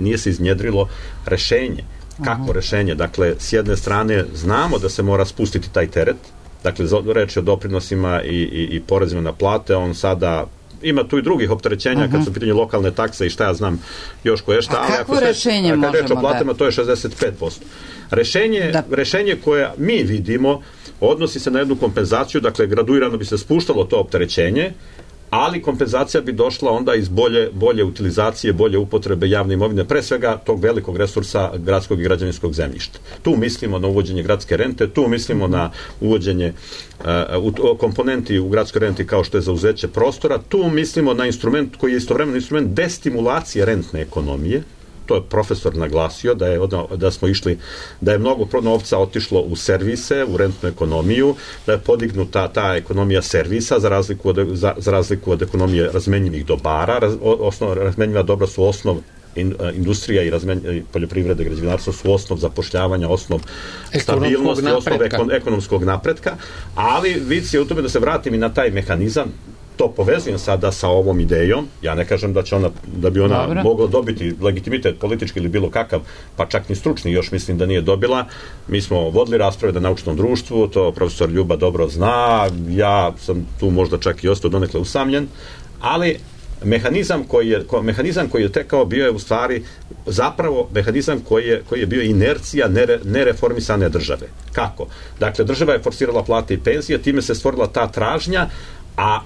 nije se iznjedrilo rešenje. Kako rešenje? Dakle, s jedne strane znamo da se mora spustiti taj teret, dakle, reč je o doprinosima i porezima na plate, on sada ima tu i drugih opterećenja kad su u pitanju lokalne takse i šta ja znam još koje šta. A kako rešenje možemo kad reč o platama, to je 65%. Rešenje koje mi vidimo odnosi se na jednu kompenzaciju, dakle, graduirano bi se spuštalo to opterećenje, ali kompenzacija bi došla onda iz bolje utilizacije, bolje upotrebe javne imovine, pre svega tog velikog resursa gradskog i građevinskog zemljišta. Tu mislimo na uvođenje gradske rente, tu mislimo na uvođenje komponenti u gradskoj renti kao što je zauzeće prostora, tu mislimo na instrument koji je istovremeno instrument destimulacije rentne ekonomije. To je profesor naglasio, da smo išli, da je mnogo novca otišlo u servise, u rentnu ekonomiju, da je podignuta ta ekonomija servisa za razliku od ekonomije razmenjivih dobara. Razmenjiva dobra su osnov, industrija i poljoprivreda i građevinarstvo su osnov zapošljavanja, osnov stabilnosti, osnov ekonomskog napretka, ali vic je u tome, da se vratim i na taj mehanizam, to povezujem sada sa ovom idejom, ja ne kažem da bi ona mogla dobiti legitimitet politički ili bilo kakav, pa čak ni stručni, još mislim da nije dobila. Mi smo vodili rasprave na naučnom društvu, to profesor Ljuba dobro zna, ja sam tu možda čak i ostao donekle usamljen, ali mehanizam koji je tekao bio je u stvari zapravo mehanizam koji je bio inercija nereformisane države. Kako? Dakle, država je forsirala plate i penzije, time se stvorila ta tražnja, a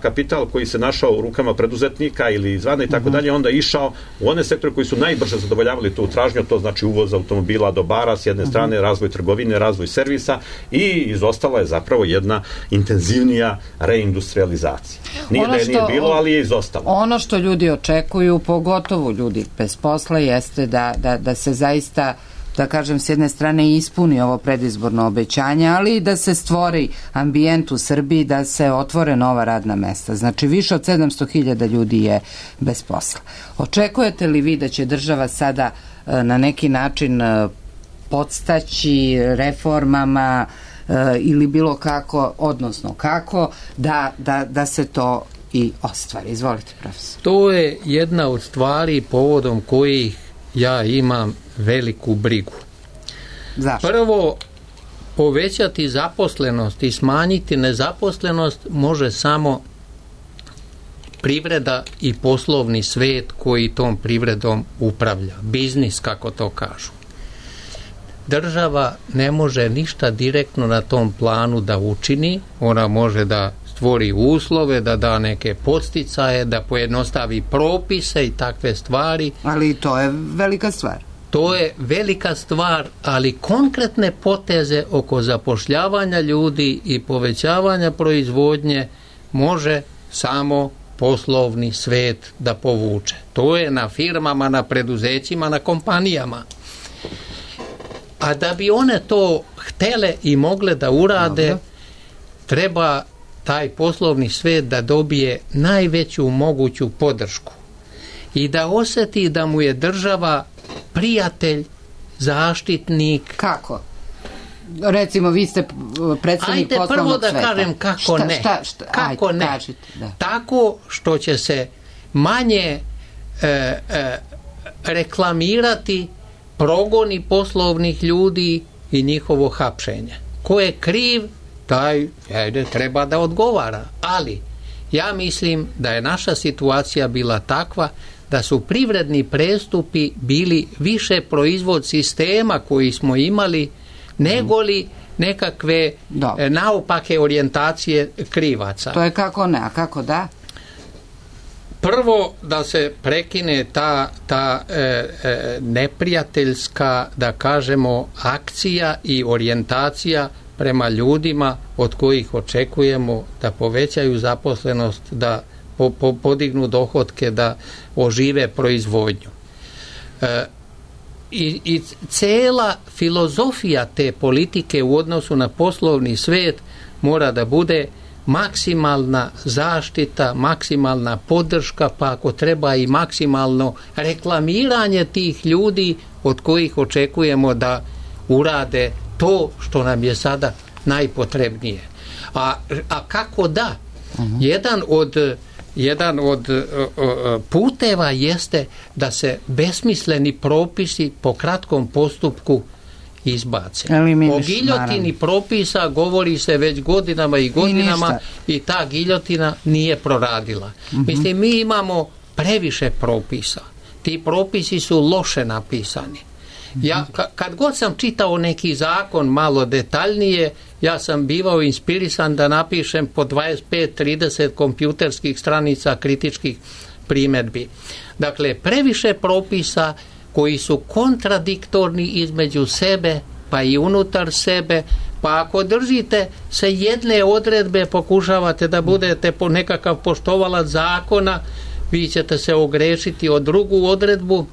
kapital koji se našao u rukama preduzetnika ili izvana i tako dalje, onda išao u one sektore koji su najbrže zadovoljavali tu tražnju, to znači uvoz automobila, dobara s jedne strane, razvoj trgovine, razvoj servisa, i izostala je zapravo jedna intenzivnija reindustrializacija. Nije bilo, ali je izostalo. Ono što ljudi očekuju, pogotovo ljudi bez posla, jeste da se zaista, da kažem, s jedne strane ispuni ovo predizborno obećanje, ali i da se stvori ambijent u Srbiji, da se otvore nova radna mesta. Znači, više od 700.000 ljudi je bez posla. Očekujete li vi da će država sada na neki način podstaći reformama ili bilo kako, odnosno kako, da se to i ostvari. Izvolite, profesor. To je jedna od stvari povodom kojih ja imam veliku brigu. Zašto? Prvo, povećati zaposlenost i smanjiti nezaposlenost može samo privreda i poslovni svet koji tom privredom upravlja. Biznis, kako to kažu. Država ne može ništa direktno na tom planu da učini. Ona može da stvori uslove, da da neke podsticaje, da pojednostavi propise i takve stvari. Ali to je velika stvar. To je velika stvar, ali konkretne poteze oko zapošljavanja ljudi i povećavanja proizvodnje može samo poslovni svet da povuče. To je na firmama, na preduzećima, na kompanijama. A da bi one to htele i mogle da urade, treba taj poslovni svet da dobije najveću moguću podršku i da osjeti da mu je država prijatelj, zaštitnik. Kako? Recimo, vi ste predsjednik poslovnog sveta. Ajde prvo da kažem kako ne. Kako ne? Tako što će se manje reklamirati progoni poslovnih ljudi i njihovo hapšenje. Ko je kriv, taj treba da odgovara. Ali ja mislim da je naša situacija bila takva da su privredni prestupi bili više proizvod sistema koji smo imali nego li nekakve naopake orijentacije krivaca. To je kako ne, a kako da? Prvo da se prekine ta neprijateljska, da kažemo, akcija i orijentacija prema ljudima od kojih očekujemo da povećaju zaposlenost, da podignu dohotke, da ožive proizvodnju. I cela filozofija te politike u odnosu na poslovni svet mora da bude maksimalna zaštita, maksimalna podrška, pa ako treba i maksimalno reklamiranje tih ljudi od kojih očekujemo da urade to što nam je sada najpotrebnije. A kako da? Jedan od puteva jeste da se besmisleni propisi po kratkom postupku izbace. O giljotini propisa govori se već godinama i godinama i ta giljotina nije proradila. Mislim, mi imamo previše propisa. Ti propisi su loše napisani. Ja, kad god sam čitao neki zakon malo detaljnije, ja sam bivao inspirisan da napišem po 25-30 kompjuterskih stranica kritičkih primjedbi. Dakle, previše propisa koji su kontradiktorni između sebe, pa i unutar sebe, pa ako držite se jedne odredbe, pokušavate da budete po nekakav poštovalac zakona, vi ćete se ogrešiti o drugu odredbu,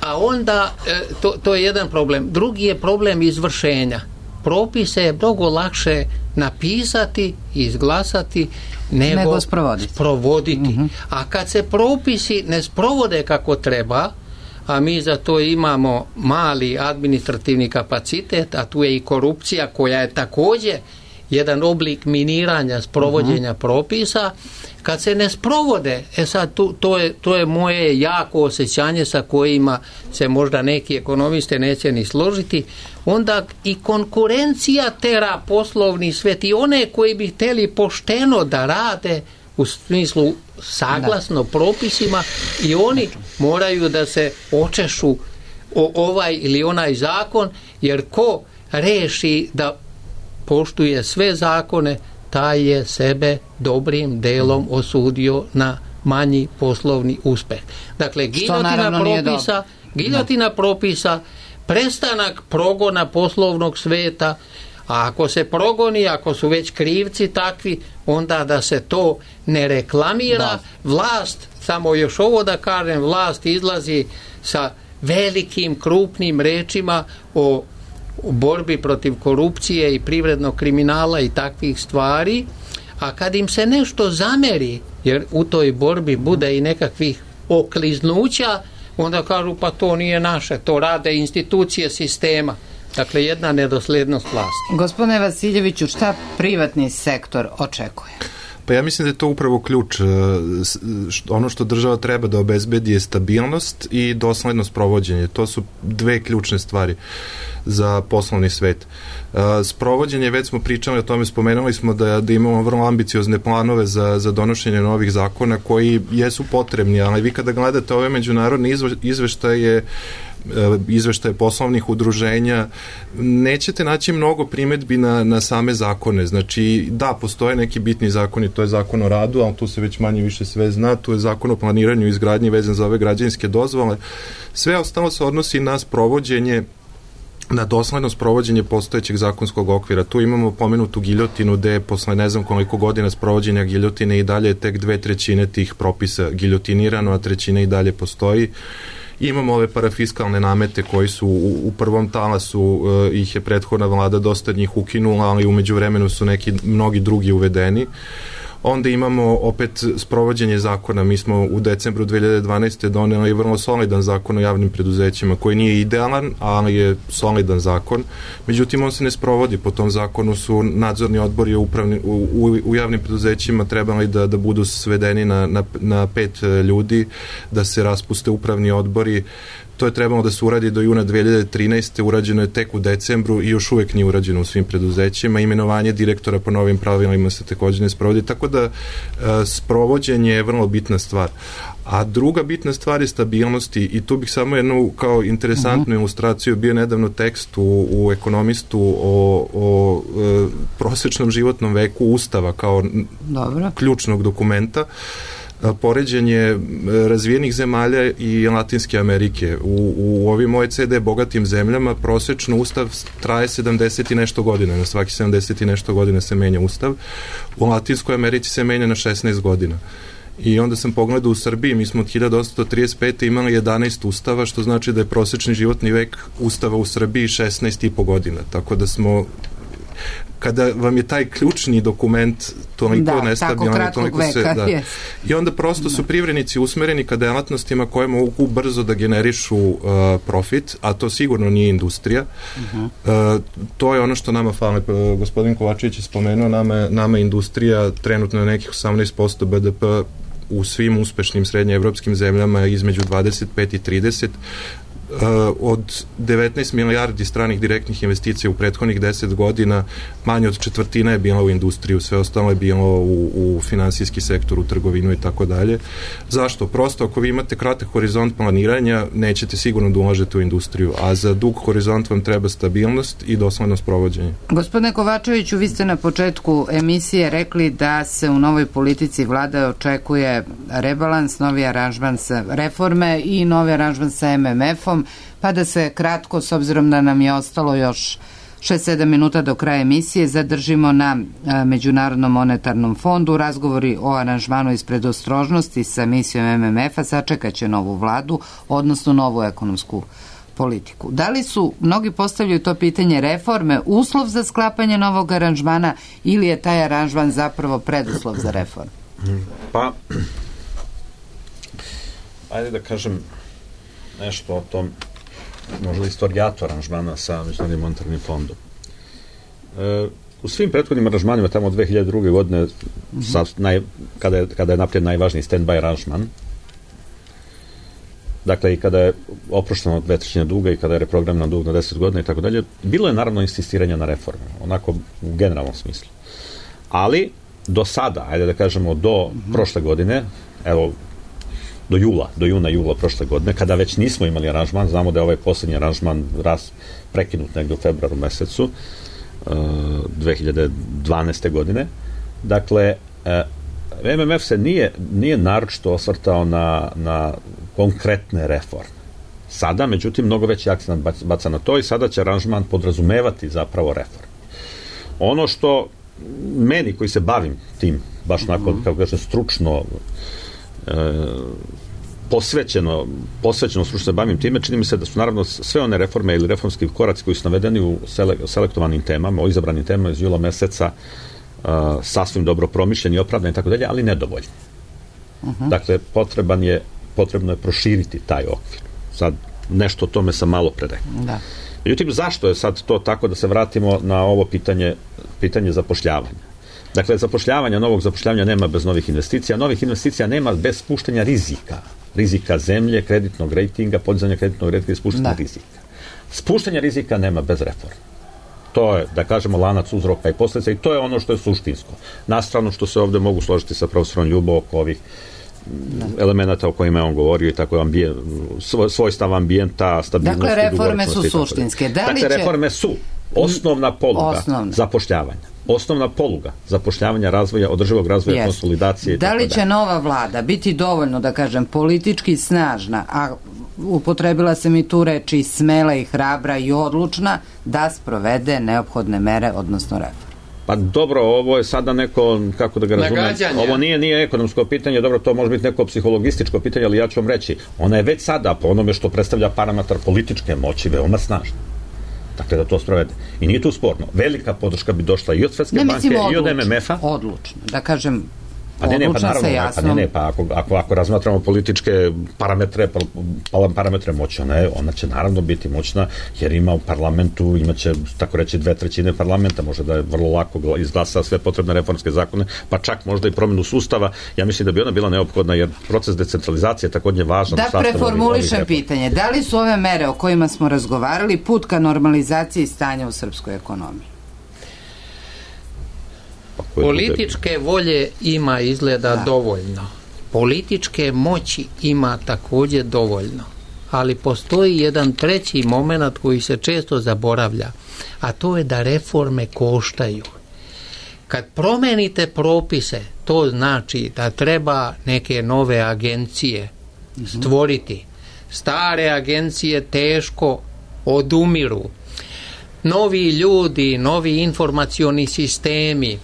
a onda to je jedan problem. Drugi je problem izvršenja. Propise je mnogo lakše napisati i izglasati nego sprovoditi. A kad se propisi ne sprovode kako treba, a mi za to imamo mali administrativni kapacitet, a tu je i korupcija koja je također jedan oblik miniranja sprovođenja propisa, kad se ne sprovode, sad to je moje jako osjećanje sa kojima se možda neki ekonomiste neće ni složiti, onda i konkurencija tera poslovni svet i one koji bi htjeli pošteno da rade u smislu saglasno propisima, i oni moraju da se očešu o ovaj ili onaj zakon, jer ko reši da poštuje sve zakone, taj je sebe dobrim delom osudio na manji poslovni uspeh. Dakle, giljotina propisa, prestanak progona poslovnog sveta, a ako se progoni, ako su već krivci takvi, onda da se to ne reklamira. Vlast, samo još ovo da kažem, vlast izlazi sa velikim, krupnim rečima o borbi protiv korupcije i privrednog kriminala i takvih stvari, a kad im se nešto zameri, jer u toj borbi bude i nekakvih okliznuća, onda kažu pa to nije naše, to rade institucije sistema. Dakle, jedna nedoslednost vlasti. Gospodine Vasiljeviću, šta privatni sektor očekuje? Pa ja mislim da je to upravo ključ. Ono što država treba da obezbedi je stabilnost i dosledno sprovođenje. To su dve ključne stvari za poslovni svet. Sprovođenje, već smo pričali o tome, spomenuli smo da imamo vrlo ambiciozne planove za donošenje novih zakona koji jesu potrebni, ali vi kada gledate ove međunarodne izveštaje poslovnih udruženja, nećete naći mnogo primetbi na same zakone. Znači, da, postoje neki bitni zakoni, to je zakon o radu, ali tu se već manje više sve zna, tu je zakon o planiranju i izgradnji vezan za ove građevinske dozvole. Sve ostalo se odnosi na sprovođenje, na dosledno sprovođenje postojećeg zakonskog okvira. Tu imamo pomenutu giljotinu gde posle ne znam koliko godina sprovođenja giljotine i dalje tek 2/3 tih propisa giljotinirano, a 1/3 i dalje postoji. Imamo ove parafiskalne namete koji su u prvom talasu, ih je prethodna vlada dosta njih ukinula, ali umeđu vremenu su mnogi drugi uvedeni. Onda imamo opet sprovođenje zakona. Mi smo u decembru 2012. doneli vrlo solidan zakon o javnim preduzećima, koji nije idealan, ali je solidan zakon. Međutim, on se ne sprovodi. Po tom zakonu su nadzorni odbori u javnim preduzećima trebali da budu svedeni na 5 ljudi, da se raspuste upravni odbori. To je trebalo da se uradi do juna 2013. Urađeno je tek u decembru i još uvek nije urađeno u svim preduzećima. Imenovanje direktora po novim pravilima se također ne sprovodi, tako da sprovođenje je vrlo bitna stvar. A druga bitna stvar je stabilnosti i tu bih samo jednu kao interesantnu ilustraciju, bio nedavno tekst u Ekonomistu o prosečnom životnom veku Ustava kao ključnog dokumenta, poređenje razvijenih zemalja i Latinske Amerike. U ovim OECD bogatim zemljama prosečno Ustav traje 70 i nešto godina. Na svaki 70 i nešto godina se menja Ustav. U Latinskoj Americi se menja na 16 godina. I onda sam pogledao u Srbiji, mi smo od 1835. imali 11 ustava, što znači da je prosečni životni vek Ustava u Srbiji 16,5 godina. Tako da smo, kada vam je taj ključni dokument toliko nestabilan, toliko se... Da. I onda prosto su privrednici usmereni ka delatnostima koje mogu brzo da generišu profit, a to sigurno nije industrija. To je ono što nama fali. Gospodin Kovačević je spomenuo, nama industrija trenutno je nekih 18% BDP u svim uspešnim srednjeevropskim zemljama između 25 i 30. Od 19 milijardi stranih direktnih investicija u prethodnih 10 godina, manje od četvrtina je bila u industriju, sve ostalo je bilo u finansijski sektor, u trgovinu i tako dalje. Zašto? Prosto ako vi imate kratak horizont planiranja, nećete sigurno da ulažete u industriju, a za dug horizont vam treba stabilnost i dosledno sprovođenje. Gospodine Kovačeviću, vi ste na početku emisije rekli da se u novoj politici vlade očekuje rebalans, novi aranžman sa reforme i novi aranžman sa MMF-om, pa da se kratko, s obzirom da nam je ostalo još 6-7 minuta do kraja emisije, zadržimo na Međunarodnom monetarnom fondu. Razgovori o aranžmanu iz predostrožnosti sa misijom MMF-a sačekaće novu vladu, odnosno novu ekonomsku politiku. Da li su, mnogi postavljaju to pitanje, reforme uslov za sklapanje novog aranžmana ili je taj aranžman zapravo preduslov za reformu? Pa, ajde da kažem nešto o tom, možda istorijatu aranžmana sa Međunarodnim monetarnim fondom. U svim prethodnim aranžmanima, tamo od 2002. godine, kada je napravljen najvažniji stand-by aranžman, dakle i kada je oprošteno 2/3 duga i kada je reprogramiran dug na 10 godina i tako dalje, bilo je naravno insistiranja na reforme, onako u generalnom smislu. Ali do sada, ajde da kažemo do prošle godine, evo, do juna prošle godine, kada već nismo imali aranžman, znamo da je ovaj posljednji aranžman prekinut negdje u februaru mesecu 2012. godine. Dakle, MMF se nije naročito osvrtao na konkretne reforme. Sada, međutim, mnogo veći akcent baca na to i sada će aranžman podrazumevati zapravo reforme. Ono što meni, koji se bavim tim, baš onako, kako kažem, stručno posvećeno stručno se bavim time, čini mi se da su naravno sve one reforme ili reformski koraci koji su navedeni u selektovanim temama, o izabranim temama iz jula meseca, sasvim dobro promišljeni, opravdani i tako dalje, ali nedovoljni. Dakle, potrebno je proširiti taj okvir. Sad, nešto o tome sam malo pre rekao. Međutim, zašto je sad to tako, da se vratimo na ovo pitanje zapošljavanja? Dakle, novog zapošljavanja nema bez novih investicija. Novih investicija nema bez spuštanja rizika. Rizika zemlje, kreditnog rejtinga, podizanja kreditnog rejtinga i spuštanja rizika. Spuštanja rizika nema bez reforma. To je, da kažemo, lanac uzroka i posljedica i to je ono što je suštinsko. Nastrano što se ovdje mogu složiti sa profesorom Ljubo oko ovih elemenata o kojima je on govorio i tako svojstav ambijenta, stabilnosti. Dakle, reforme su suštinske. Reforme su osnovna poluga zapošljavanja. Osnovna poluga zapošljavanja, razvoja, održivog razvoja, konsolidacije. Da li će nova vlada biti dovoljno, da kažem, politički snažna, a upotrebila sam i tu reči smela i hrabra i odlučna, da sprovede neophodne mere, odnosno reforme? Pa dobro, ovo je sada neko, kako da ga razumem, ovo nije ekonomsko pitanje, dobro, to može biti neko psihologističko pitanje, ali ja ću vam reći, ona je već sada, po onome što predstavlja parametar političke moći, veoma snažna. Dakle, da to sprovede. I nije tu sporno. Velika podrška bi došla i od Svetske banke i od MMF-a. Odlučno. Da kažem, ako razmatramo političke parametre moći, ona će naravno biti moćna, jer ima u parlamentu, imaće, tako reći, 2/3 parlamenta, može da je vrlo lako izglasa sve potrebne reformske zakone, pa čak možda i promjenu sustava. Ja mislim da bi ona bila neophodna, jer proces decentralizacije je također važan. Da preformulišem pitanje, da li su ove mere o kojima smo razgovarali put ka normalizaciji stanja u srpskoj ekonomiji? Političke volje ima izgleda dovoljno. Političke moći ima također dovoljno. Ali postoji jedan treći moment koji se često zaboravlja, a to je da reforme koštaju. Kad promenite propise, to znači da treba neke nove agencije stvoriti. Stare agencije teško odumiru. Novi ljudi, novi informacioni sistemi.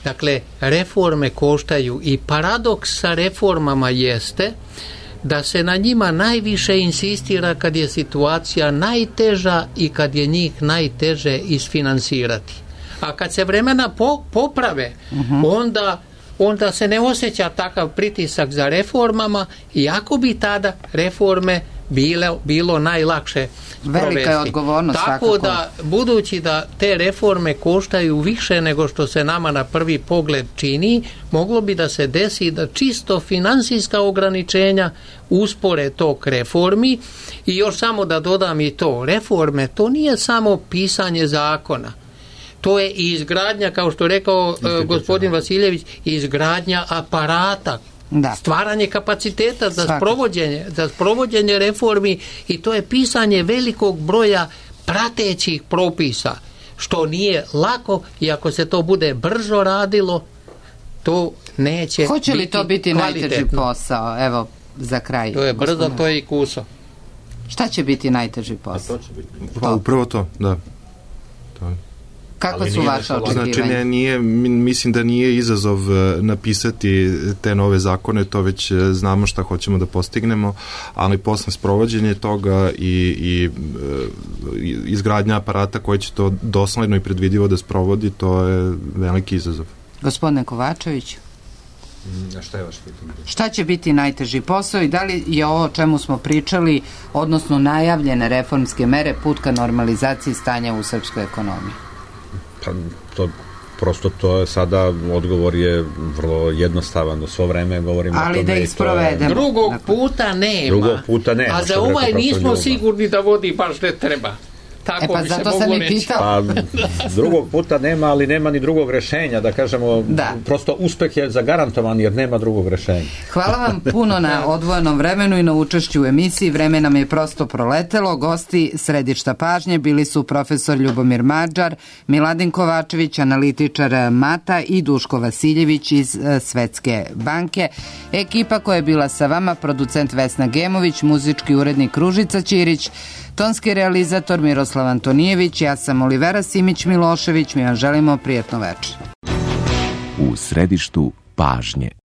Dakle, reforme koštaju i paradoks sa reformama jeste da se na njima najviše insistira kad je situacija najteža i kad je njih najteže isfinansirati. A kad se vremena poprave, onda se ne osjeća takav pritisak za reformama, iako bi tada reforme bilo najlakše provesti. Velika je odgovornost. Tako da, budući da te reforme koštaju više nego što se nama na prvi pogled čini, moglo bi da se desi da čisto financijska ograničenja uspore tok reformi. I još samo da dodam i to, reforme, to nije samo pisanje zakona. To je i izgradnja, kao što je rekao gospodin Vasiljević, izgradnja aparata, stvaranje kapaciteta za sprovođenje reformi, i to je pisanje velikog broja pratećih propisa, što nije lako, i ako se to bude brzo radilo, to neće biti. Hoće li to biti najteži posao? Evo, za kraj. To je brzo, to je i kuso. Šta će biti najteži posao? Pa upravo to, da. Kakva su vaša očekivanja? Znači, mislim da nije izazov napisati te nove zakone, to već znamo šta hoćemo da postignemo, ali posle sprovođenje toga i izgradnja aparata koji će to dosledno i predvidivo da sprovodi, to je veliki izazov. Gospodine Kovačević? Šta je vaš pitanje? Šta će biti najteži posao i da li je ovo o čemu smo pričali, odnosno najavljene reformske mere, put ka normalizaciji stanja u srpskoj ekonomiji? Pa to je sada, odgovor je vrlo jednostavan, svo vreme govorimo o tome. Ali da ih sprovedemo. Drugog puta nema. A za ovaj nismo sigurni da vodi baš ne treba. Tako pa zato sam i pitao. Drugog puta nema, ali nema ni drugog rešenja, da kažemo, prosto uspeh je zagarantovan jer nema drugog rešenja. Hvala vam puno na odvojenom vremenu i na učešću u emisiji. Vreme nam je prosto proletelo. Gosti središta pažnje bili su profesor Ljubomir Mađar, Miladin Kovačević, analitičar MATA, i Duško Vasiljević iz Svetske banke. Ekipa koja je bila sa vama, producent Vesna Gemović, muzički urednik Ružica Ćirić, tonski realizator Miroslav Antonijević, ja sam Olivera Simić-Milošević, mi vam želimo prijatno večer. U središtu pažnje.